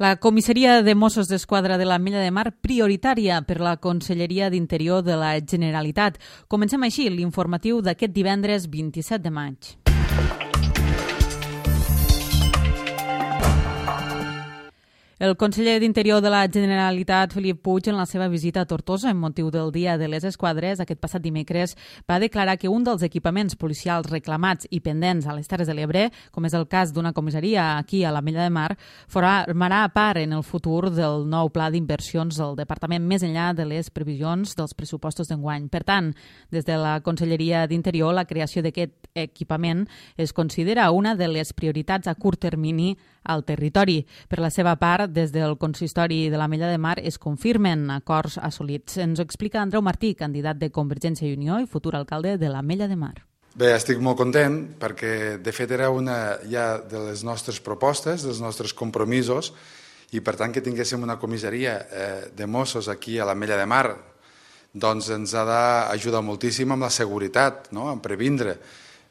La comissaria de Mossos d'Esquadra de l'Ametlla de Mar, prioritària per la Conselleria d'Interior de la Generalitat. Comencem així l'informatiu d'aquest divendres 27 de maig. El conseller d'Interior de la Generalitat, Felip Puig, en la seva visita a Tortosa, en motiu del Dia de les Esquadres, aquest passat dimecres, va declarar que un dels equipaments policials reclamats i pendents a les Terres de l'Ebre, com és el cas d'una comissaria aquí a l'Ametlla de Mar, formarà part en el futur del nou pla d'inversions del departament més enllà de les previsions dels pressupostos d'enguany. Per tant, des de la Conselleria d'Interior, la creació d'aquest equipament es considera una de les prioritats a curt termini al territori. Per la seva part, des del consistori de l'Ametlla de Mar es confirmen acords assolits. Ens ho explica Andreu Martí, candidat de Convergència i Unió i futur alcalde de l'Ametlla de Mar. Bé, estic molt content perquè de fet era una ja de les nostres propostes, dels nostres compromisos, i per tant que tinguéssim una comissaria de Mossos aquí a l'Ametlla de Mar doncs ens ha d'ajudar moltíssim amb la seguretat, no? En previndre.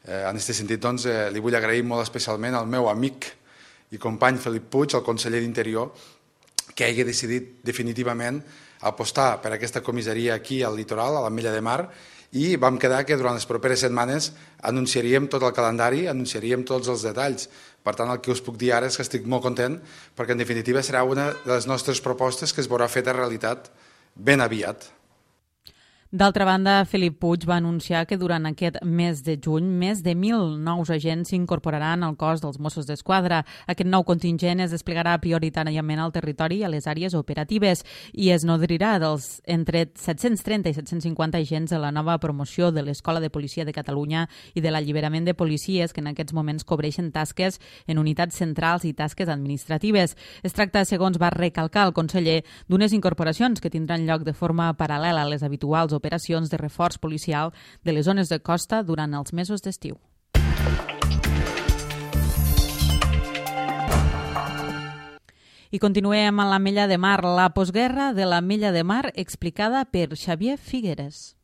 En aquest sentit doncs, li vull agrair molt especialment al meu amic i company Felip Puig, el conseller d'Interior, que hagi decidit definitivament apostar per aquesta comissaria aquí al litoral, a l'Ametlla de Mar, i vam quedar que durant les properes setmanes anunciaríem tot el calendari, anunciaríem tots els detalls. Per tant, el que us puc dir ara és que estic molt content perquè en definitiva serà una de les nostres propostes que es veurà feta realitat ben aviat. D'altra banda, Felip Puig va anunciar que durant aquest mes de juny més de 1.000 nous agents s'incorporaran al cos dels Mossos d'Esquadra. Aquest nou contingent es desplegarà prioritàriament al territori i a les àrees operatives i es nodrirà dels entre 730 i 750 agents de la nova promoció de l'Escola de Policia de Catalunya i de l'alliberament de policies que en aquests moments cobreixen tasques en unitats centrals i tasques administratives. Es tracta, segons va recalcar el conseller, d'unes incorporacions que tindran lloc de forma paral·lela a les habituals operacions de reforç policial de les zones de costa durant els mesos d'estiu. I continuem a l'Ametlla de Mar, la postguerra de l'Ametlla de Mar explicada per Xavier Figueres.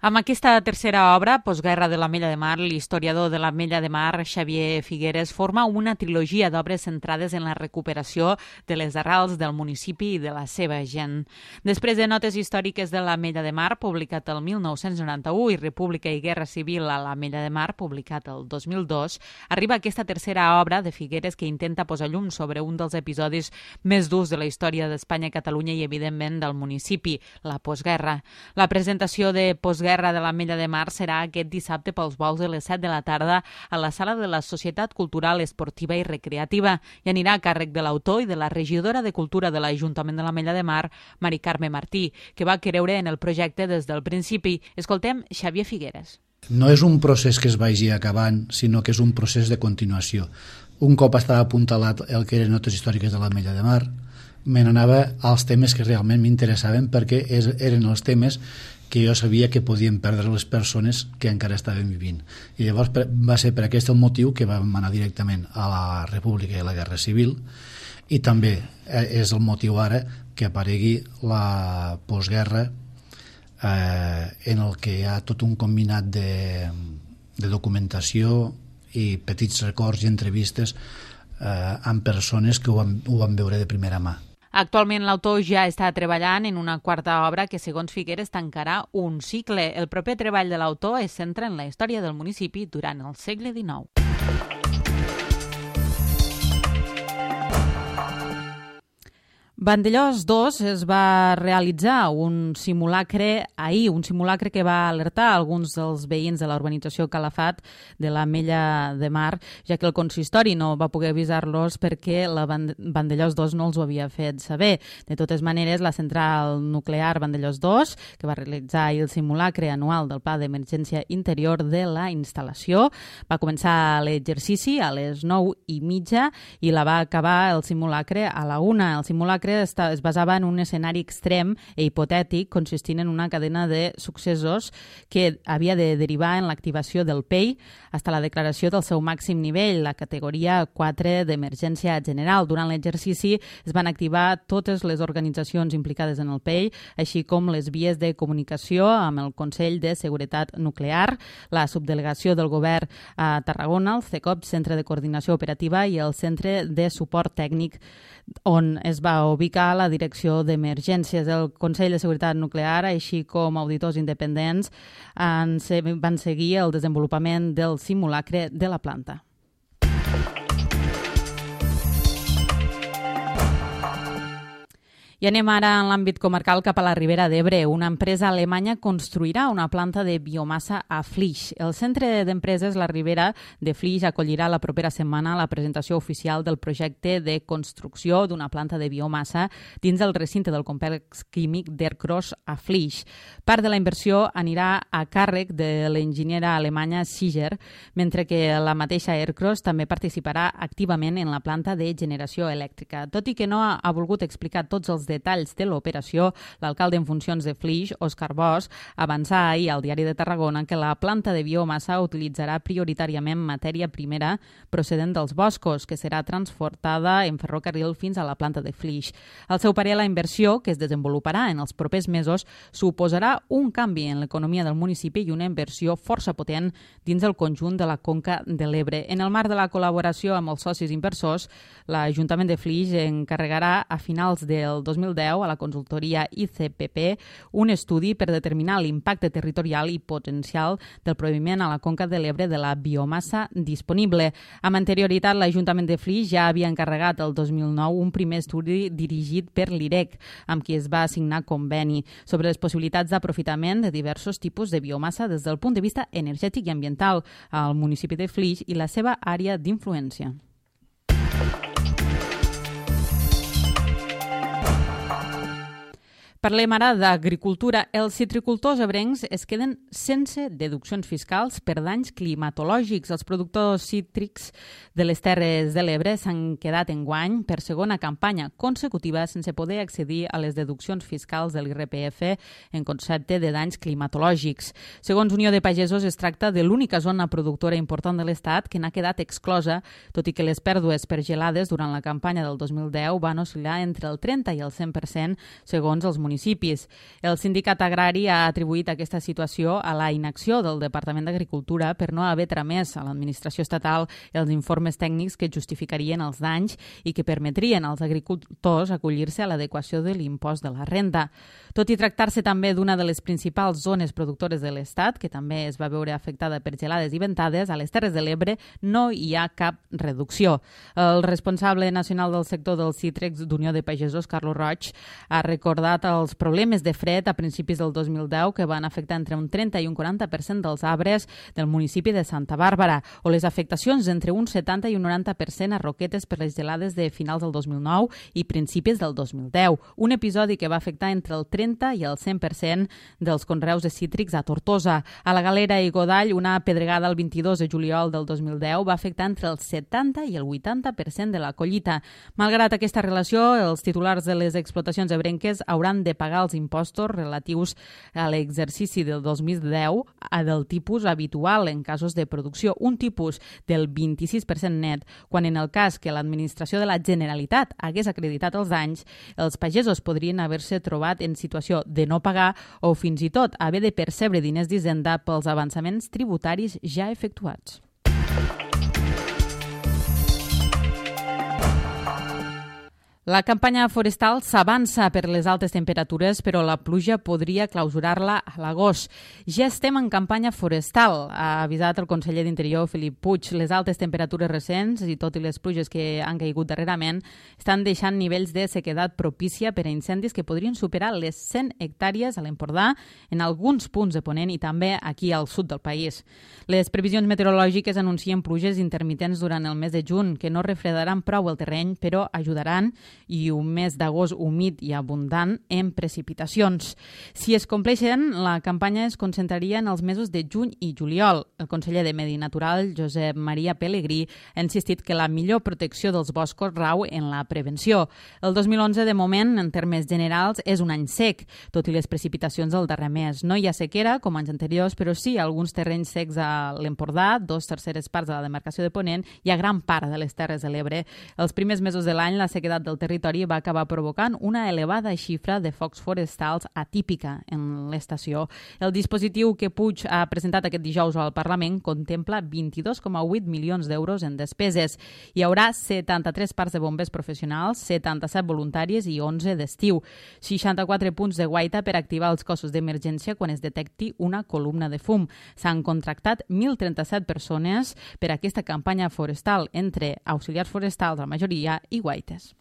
Amb aquesta tercera obra, Postguerra de l'Ametlla de Mar, l'historiador de l'Ametlla de Mar, Xavier Figueres, forma una trilogia d'obres centrades en la recuperació de les arrels del municipi i de la seva gent. Després de Notes històriques de l'Ametlla de Mar, publicat el 1991, i República i Guerra Civil a l'Ametlla de Mar, publicat el 2002, arriba aquesta tercera obra de Figueres que intenta posar llum sobre un dels episodis més durs de la història d'Espanya, Catalunya i, evidentment, del municipi, la postguerra. La presentació de Postguerra de l'Ametlla de Mar serà aquest dissabte pels volts de les 7 de la tarda a la sala de la Societat Cultural, Esportiva i Recreativa i anirà a càrrec de l'autor i de la regidora de Cultura de l'Ajuntament de l'Ametlla de Mar, Mari Carme Martí, que va creure en el projecte des del principi. Escoltem Xavier Figueres. No és un procés que es vagi acabant, sinó que és un procés de continuació. Un cop estava apuntalat el que eren Notes històriques de l'Ametlla de Mar, me n'anava als temes que realment m'interessaven perquè eren els temes que jo sabia que podien perdre les persones que encara estaven vivint. I llavors va ser per aquest el motiu que vam anar directament a la República i a la Guerra Civil, i també és el motiu ara que aparegui la postguerra en el que hi ha tot un combinat de documentació i petits records i entrevistes amb persones que ho van veure de primera mà. Actualment l'autor ja està treballant en una quarta obra que, segons Figueres, tancarà un cicle. El proper treball de l'autor es centra en la història del municipi durant el segle XIX. Vandellòs 2 es va realitzar un simulacre ahir, un simulacre que va alertar alguns dels veïns de la urbanització Calafat de l'Ametlla de Mar, ja que el consistori no va poder avisar-los perquè la Vandellòs 2 no els ho havia fet saber. De totes maneres, la central nuclear Vandellòs 2, que va realitzar ahir el simulacre anual del Pla d'Emergència Interior de la instal·lació, va començar l'exercici a les 9:30 i la va acabar el simulacre a la 1. El simulacre simulacre es basava en un escenari extrem i hipotètic consistint en una cadena de successos que havia de derivar en l'activació del PEI fins a la declaració del seu màxim nivell, la categoria 4 d'emergència general. Durant l'exercici es van activar totes les organitzacions implicades en el PEI, així com les vies de comunicació amb el Consell de Seguretat Nuclear, la subdelegació del govern a Tarragona, el CECOP, Centre de Coordinació Operativa, i el Centre de Suport Tècnic, on es va ubicar la Direcció d'Emergències. El Consell de Seguretat Nuclear, així com auditors independents, van seguir el desenvolupament del simulacre de la planta. I anem ara en l'àmbit comarcal cap a la Ribera d'Ebre. Una empresa alemanya construirà una planta de biomassa a Flix. El Centre d'Empreses La Ribera de Flix acollirà la propera setmana la presentació oficial del projecte de construcció d'una planta de biomassa dins del recinte del complex químic d'Ercros a Flix. Part de la inversió anirà a càrrec de l'enginyera alemanya Siger, mentre que la mateixa Ercros també participarà activament en la planta de generació elèctrica. Tot i que no ha volgut explicar tots els detalls de l'operació, l'alcalde en funcions de Flix, Òscar Bosch, avançà ahir al Diari de Tarragona que la planta de biomassa utilitzarà prioritàriament matèria primera procedent dels boscos, que serà transportada en ferrocarril fins a la planta de Flix. Al seu parer, la inversió, que es desenvoluparà en els propers mesos, suposarà un canvi en l'economia del municipi i una inversió força potent dins el conjunt de la Conca de l'Ebre. En el marc de la col·laboració amb els socis inversors, l'Ajuntament de Flix encarregarà a finals del 2010 a la consultoria ICPP un estudi per determinar l'impacte territorial i potencial del proveïment a la Conca de l'Ebre de la biomassa disponible. Amb anterioritat, l'Ajuntament de Flix ja havia encarregat el 2009 un primer estudi dirigit per l'IREC, amb qui es va signar conveni sobre les possibilitats d'aprofitament de diversos tipus de biomassa des del punt de vista energètic i ambiental al municipi de Flix i la seva àrea d'influència. Parlem ara d'agricultura. Els citricultors ebrencs es queden sense deduccions fiscals per danys climatològics. Els productors cítrics de les Terres de l'Ebre s'han quedat enguany per segona campanya consecutiva sense poder accedir a les deduccions fiscals de l'IRPF en concepte de danys climatològics. Segons Unió de Pagesos, es tracta de l'única zona productora important de l'Estat que n'ha quedat exclosa, tot i que les pèrdues per gelades durant la campanya del 2010 van oscil·lar entre el 30 i el 100% segons els municipis. El sindicat agrari ha atribuït aquesta situació a la inacció del Departament d'Agricultura per no haver tramès a l'administració estatal els informes tècnics que justificarien els danys i que permetrien als agricultors acollir-se a l'adequació de l'impost de la renda. Tot i tractar-se també d'una de les principals zones productores de l'Estat, que també es va veure afectada per gelades i ventades, a les Terres de l'Ebre no hi ha cap reducció. El responsable nacional del sector dels cítrics d'Unió de Pagesos, Carlos Roig, ha recordat els problemes de fred a principis del 2010 que van afectar entre un 30 i un 40% dels arbres del municipi de Santa Bàrbara, o les afectacions d'entre un 70 i un 90% a roquetes per les gelades de finals del 2009 i principis del 2010. Un episodi que va afectar entre el 30 i el 100% dels conreus de cítrics a Tortosa. A la Galera i Godall, una pedregada el 22 de juliol del 2010 va afectar entre el 70 i el 80% de la collita. Malgrat aquesta relació, els titulars de les explotacions ebrenques hauran de pagar els impostos relatius a l'exercici del 2010 del tipus habitual en casos de producció, un tipus del 26% net, quan en el cas que l'administració de la Generalitat hagués acreditat els danys, els pagesos podrien haver-se trobat en situació de no pagar o fins i tot haver de percebre diners d'Hisenda pels avançaments tributaris ja efectuats. La campanya forestal s'avança per les altes temperatures, però la pluja podria clausurar-la a l'agost. Ja estem en campanya forestal, ha avisat el conseller d'Interior, Felip Puig. Les altes temperatures recents i tot i les pluges que han caigut darrerament estan deixant nivells de sequedat propícia per a incendis que podrien superar les 100 hectàrees a l'Empordà, en alguns punts de Ponent i també aquí al sud del país. Les previsions meteorològiques anuncien pluges intermitents durant el mes de juny, que no refredaran prou el terreny, però ajudaran i un mes d'agost humit i abundant en precipitacions. Si es compleixen, la campanya es concentraria en els mesos de juny i juliol. El conseller de Medi Natural, Josep Maria Pelegrí, ha insistit que la millor protecció dels boscos rau en la prevenció. El 2011, de moment, en termes generals, és un any sec, tot i les precipitacions del darrer mes. No hi ha sequera, com anys anteriors, però sí alguns terrenys secs a l'Empordà, 2/3 parts de la demarcació de Ponent i a gran part de les Terres de l'Ebre. Els primers mesos de l'any, la sequedat del territori va acabar provocant una elevada xifra de focs forestals atípica en l'estació. El dispositiu que Puig ha presentat aquest dijous al Parlament contempla 22,8 milions d'euros en despeses. Hi haurà 73 parcs de bombers professionals, 77 voluntaris i 11 d'estiu. 64 punts de guaita per activar els cossos d'emergència quan es detecti una columna de fum. S'han contractat 1.037 persones per a aquesta campanya forestal, entre auxiliars forestals, la majoria, i guaites.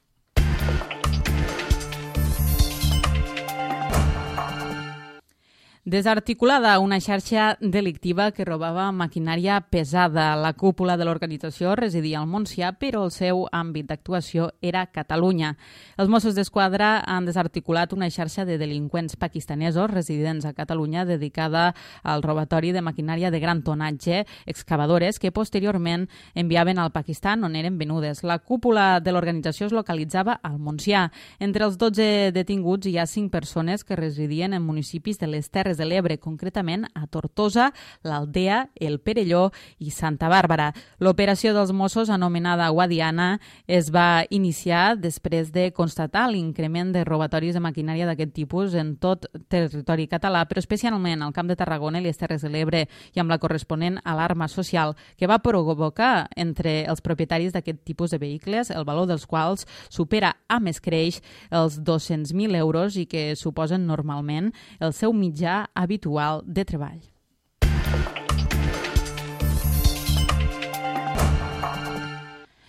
Desarticulada una xarxa delictiva que robava maquinària pesada. La cúpula de l'organització residia al Montsià, però el seu àmbit d'actuació era Catalunya. Els Mossos d'Esquadra han desarticulat una xarxa de delinqüents pakistanesos residents a Catalunya dedicada al robatori de maquinària de gran tonatge, excavadores, que posteriorment enviaven al Pakistan on eren venudes. La cúpula de l'organització es localitzava al Montsià. Entre els 12 detinguts hi ha 5 persones que residien en municipis de les Terres de l'Ebre, concretament a Tortosa, l'Aldea, el Perelló i Santa Bàrbara. L'operació dels Mossos, anomenada Guadiana, es va iniciar després de constatar l'increment de robatoris de maquinària d'aquest tipus en tot territori català, però especialment al Camp de Tarragona i les Terres de l'Ebre, i amb la corresponent alarma social que va provocar entre els propietaris d'aquest tipus de vehicles, el valor dels quals supera amb escreix els 200.000 euros i que suposen normalment el seu mitjà habitual de treball.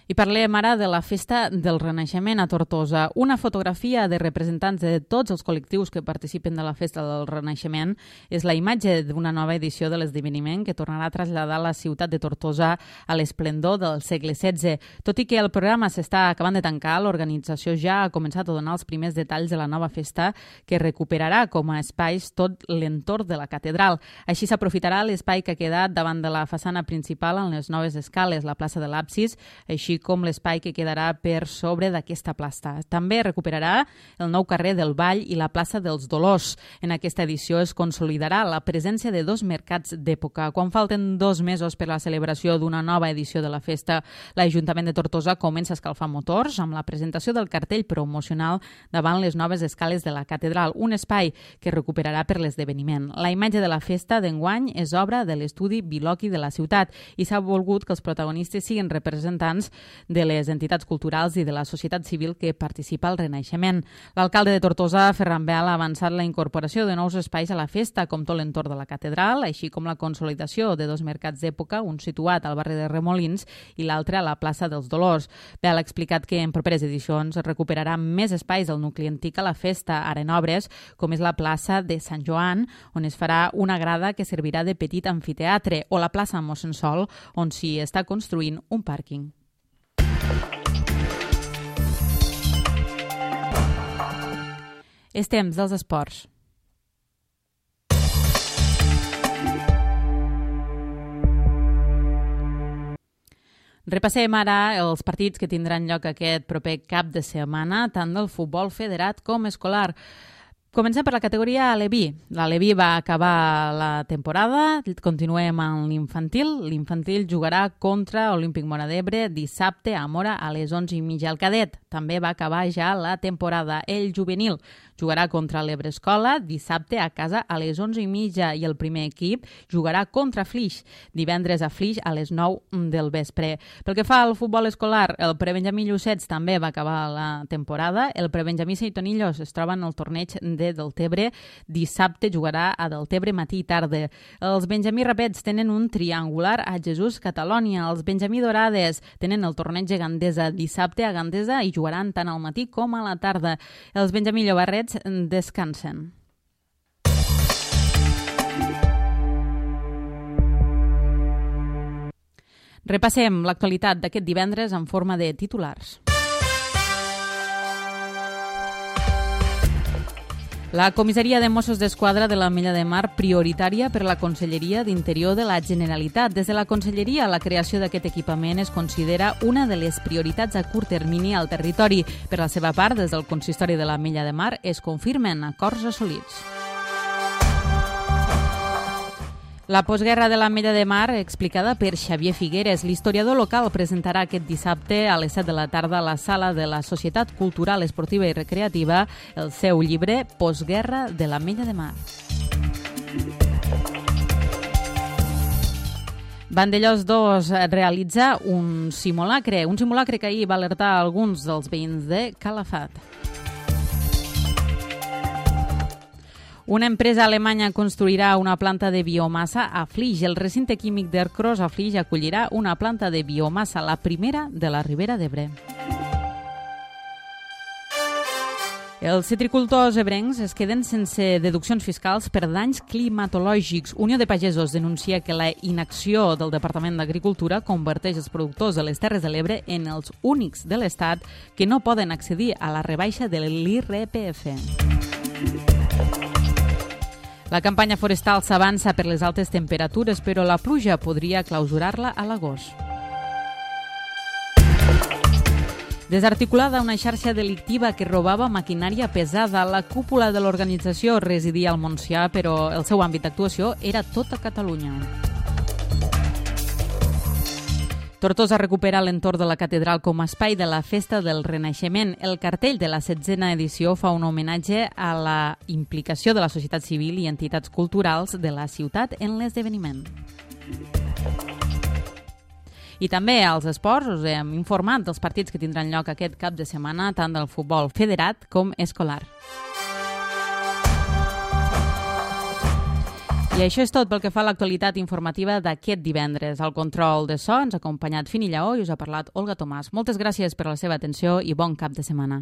I parlem ara de la Festa del Renaixement a Tortosa. Una fotografia de representants de tots els col·lectius que participen de la Festa del Renaixement és la imatge d'una nova edició de l'esdeveniment que tornarà a traslladar la ciutat de Tortosa a l'esplendor del segle XVI. Tot i que el programa s'està acabant de tancar, l'organització ja ha començat a donar els primers detalls de la nova festa que recuperarà com a espais tot l'entorn de la catedral. Així s'aprofitarà l'espai que ha quedat davant de la façana principal en les noves escales, la plaça de l'Absis, així com l'espai que quedarà per sobre d'aquesta plaça. També recuperarà el nou carrer del Vall i la plaça dels Dolors. En aquesta edició es consolidarà la presència de 2 mercats d'època. Quan falten 2 mesos per la celebració d'una nova edició de la festa, l'Ajuntament de Tortosa comença a escalfar motors amb la presentació del cartell promocional davant les noves escales de la catedral, un espai que recuperarà per l'esdeveniment. La imatge de la festa d'enguany és obra de l'estudi Biloqui de la ciutat i s'ha volgut que els protagonistes siguin representants de les entitats culturals i de la societat civil que participa al Renaixement. L'alcalde de Tortosa, Ferran Beal, ha avançat la incorporació de nous espais a la festa, com tot l'entorn de la catedral, així com la consolidació de 2 mercats d'època, un situat al barri de Remolins i l'altre a la plaça dels Dolors. Beal ha explicat que en properes edicions es recuperarà més espais del nucli antic a la festa, ara en obres, com és la plaça de Sant Joan, on es farà una grada que servirà de petit amfiteatre, o la plaça Mossèn Sol, on s'hi està construint un pàrquing. És temps dels esports. Repassem ara els partits que tindran lloc aquest proper cap de setmana, tant del futbol federat com escolar. Comencem per la categoria Aleví. L'Aleví va acabar la temporada, continuem amb l'infantil. L'infantil jugarà contra Olímpic Móra d'Ebre dissabte a Móra a les 11:30. El cadet també va acabar ja la temporada. El juvenil jugarà contra l'Ebre Escola dissabte a casa a les 11:30 i el primer equip jugarà contra Flix divendres a Flix a les 9 del vespre. Pel que fa al futbol escolar, el prebenjamí Llucets també va acabar la temporada. El prebenjamí Seitonillos es troba en el torneig de Deltebre. Dissabte jugarà a Deltebre matí i tarda. Els benjamí Rapets tenen un triangular a Jesús Catalònia. Els benjamí Dorades tenen el torneig de Gandesa dissabte a Gandesa i jugaran tant al matí com a la tarda. Els benjamí Llobarrets descansen. Repassem l'actualitat d'aquest divendres en forma de titulars. La comissaria de Mossos d'Esquadra de l'Ametlla de Mar, prioritària per la Conselleria d'Interior de la Generalitat. Des de la Conselleria, la creació d'aquest equipament es considera una de les prioritats a curt termini al territori. Per la seva part, des del Consistori de l'Ametlla de Mar es confirmen acords assolits. La postguerra de l'Ametlla de Mar, explicada per Xavier Figueres. L'historiador local presentarà aquest dissabte a les 7 de la tarda a la sala de la Societat Cultural, Esportiva i Recreativa el seu llibre Postguerra de l'Ametlla de Mar. Vandellòs 2 realitza un simulacre que ahir va alertar alguns dels veïns de Calafat. Una empresa alemanya construirà una planta de biomassa a Flix. El recinte químic d'Ercros a Flix acollirà una planta de biomassa, la primera de la Ribera d'Ebre. Els citricultors ebrencs es queden sense deduccions fiscals per danys climatològics. Unió de Pagesos denuncia que la inacció del Departament d'Agricultura converteix els productors de les Terres de l'Ebre en els únics de l'Estat que no poden accedir a la rebaixa de l'IRPF. La campanya forestal s'avança per les altes temperatures, però la pluja podria clausurar-la a l'agost. Desarticulada una xarxa delictiva que robava maquinària pesada. La cúpula de l'organització residia al Montsià, però el seu àmbit d'actuació era tota Catalunya. Tortosa recupera l'entorn de la catedral com a espai de la Festa del Renaixement. El cartell de la 16a edició fa un homenatge a la implicació de la societat civil i entitats culturals de la ciutat en l'esdeveniment. I també als esports us hem informat dels partits que tindran lloc aquest cap de setmana, tant del futbol federat com escolar. I això és tot pel que fa a l'actualitat informativa d'aquest divendres. Al control de so ens ha acompanyat Fini Lleó i us ha parlat Olga Tomàs. Moltes gràcies per la seva atenció i bon cap de setmana.